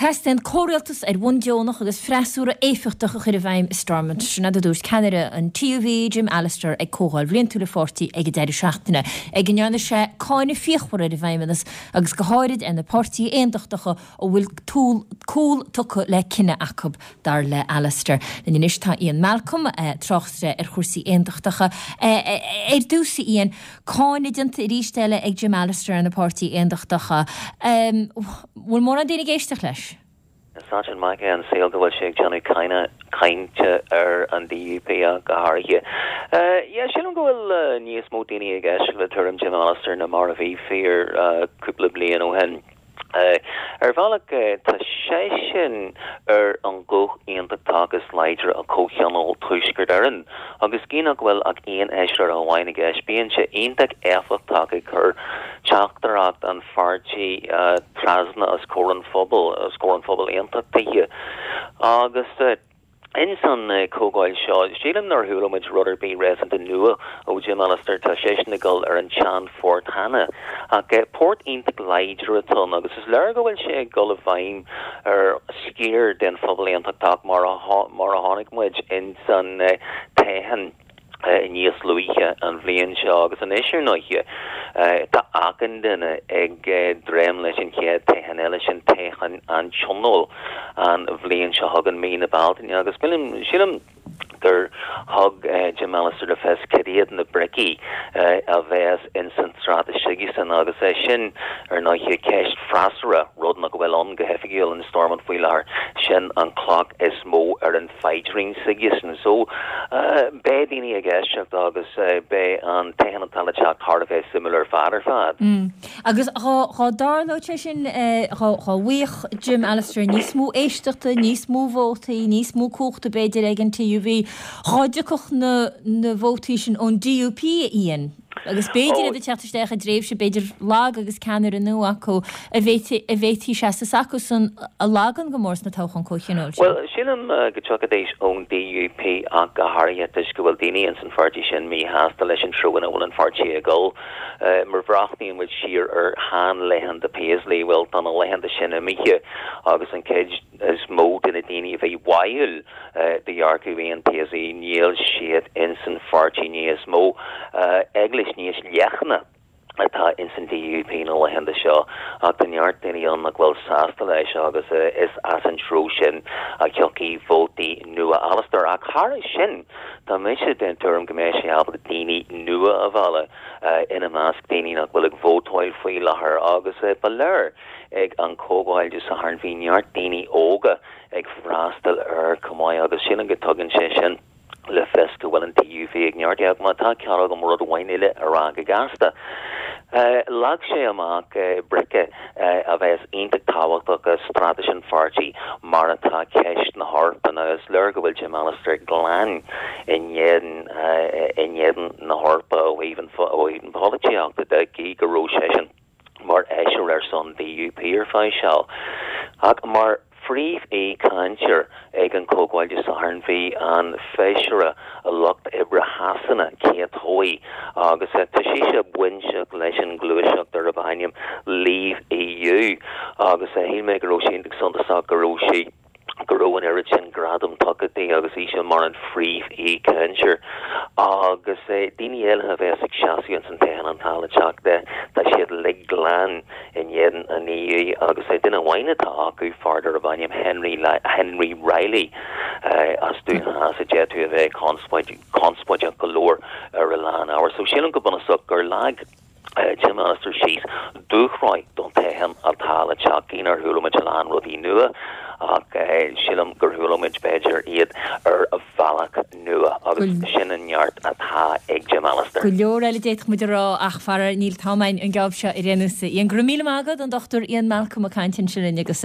Teastaíonn comhrialtas ar bhonn deonach agus freasúra éifeachtach a chur i bhfeidhm i Stormont. Sin rud a dúirt ceannaire an TUV, Jim Allister, ag comhdháil bhliantúil an pháirtí ag an deireadh seachtaine, ag a ndearna sé cáineadh fíochmhar ar an bhFeidhmeannas agus go háirid ar na páirtithe aontachtacha a bhfuil cúl tugtha le cinneadh acu, dar le Allister. Linn anois tá Ian Malcolm, tráchtaire ar chúrsaí aontachtacha. Ar dtús, a Ian, cáineadh déanta arís eile ag Jim Allister ar na páirtithe aontachtacha. Bhfuil mórán daoine ag éisteacht leis? Is ait an mac é an saol go bhfuil sé ag déanamh cainte ar an DUP ach go háirithe. Yeah, sílim go bhfuil níos mó daoine ag éisteacht le tuairim Jim Allister ná mar a bhí fíor cúpla bliain ó shin. Ar bhealach, tá seisean ar an ghuth aontachtach is láidre i Comhthionól Tuaisceart Éireann, agus gí nach bhfuil ach aon fheisire amháin i gceist, bíonn sé iontach éifeachtach ag cur teachtaireacht an pháirtí trasna os comhair an phobail, os comhair an phobail aontachtaithe. Agus. Ins an comhdháil seo, sílim nár chuala muid rud ar bith réasúnta nua ó Jim Allister, tá seisean ag dul ar an tsean-phort cheana. Ach port iontach láidir atá ann agus is léir go bhfuil sé ag dul i bhfeidhm ar sciar den phobal aontachtach mar a chonaic muid ins an toghchán. níos luaithe an bhliain seo agus anois ar ndóighe tá achan duine ag dréim leis an chéad toghchán eile sin toghchán an Tionóil an bhliain seo chugainn mí na Bealtaine agus sílim gur thug Jim Allister le fios cad iad na bricí a bheas ins an straitéis s'aigesan agus é sin ar ndóighe ceist freasúra, rud nach bhfuil ann go hoifigiúil in Stormont faoi láthair, sin an cloch is mó ar an phaidrín s'aigesan. So, beidh daoine ag éisteacht agus beidh an toghchán atá le teacht thar a bheith suimiúil ar fad ar fad. Agus dhá dtarlódh sé sin, dhá bhfaigheadh Jim Allister níos mó éisteachta, níos mó vótaí, níos mó cumhachta b'fhéidir ag an TUV, dhá dtiocfadh na vótaí sin ón DUP, a Ian? Agus b'fhéidir iad ag teacht isteach i dtréimhse b'fhéidir lag agus ceannaire nua acu, an bhféadfaí seasamh s'acusan a lagú go mór sna toghcháin comhthionóil sin. Bhuel, sílim go dtiocfaidís ón DUP ach go háirithe toisc go bhfuil daoine ins an pháirtí sin míshásta leis an treo ina bhfuil an pháirtí ag dul. Má bhreathnaíonn muid siar ar sheanlaethanta Paisley, bhuel tá na laethanta sin imithe agus an chuid is mó de na daoine a bhí báúil do dhearcadh Ian Paisley, níl siad ins an pháirtí níos mó. Eaglais níos leithne atá ins an DUP na laethanta seo ach tá neart daoine ann nach bhfuil sásta leis agus is as an treo sin a thiocfaidh vótaí nua Allister. Ach thairis sin, tá mise den tuairim go mbeidh sé ábalta daoine nua a mhealladh, ina measc daoine nach bhfuil ag vótáil faoi láthair agus ba léir Ag an chomhdháil Dé Sathairn bhí neart daoine óga ag freastal air chomh maith agus sílim go dtugann sé sin le fios go bhfuil an TUV ag neartú. Ach má tá cead agam rud amháin eile a rá go gasta, leag sé amach brice a bheas iontach tábhachtach i straitéis an pháirtí mar atá ceist na hEorpa. Now is léir go bhfuil Jim Allister glan in éadan in éadan na hEorpa ó thaobh an pholaitíochta de, gí go raibh seisean mar fheisire ar son DUP ar feadh seal. Ach mar phríomh-aoichainteoir ag an chomhdháil Dé Sathairn bhí an feisire Lucht Oibre Shasana, Kate Hoey, agus tá sise bainteach leis an ngluaiseacht darb ainm Leave EU agus shíl mé go raibh sé iontach suntasach go raibh sí go raibh an oiread sin gradam tugtha di agus ise mar an phríomh-aoichainteoir. Agus daoine eile a bheas ag seasamh ins an toghchán atá le teacht, tá siad uilig glan in éadan an EU agus duine amháin atá acu, fear darb ainm Henry Henry Reilly as Dún Theas a d'fhéadfadh a bheith conspóideach go leor ar a lán ábhar. So sílim go bunúsach gur leag Jim Allister síos dúshraith don toghchán atá le teacht. Gí nár chuala muid a lán rudaí nua ach sílim gur chuala muid b'fhéidir iad ar bhealach nua agus sin an neart atá ag Jim Allister. Go leor eile d'fhéadfadh muid a rá ach faraor níl an t-am againn an geábh seo ar aon nós. Ian, go raibh míle maith agat, an Dr Ian Malcolm ag caint ansin linn agus.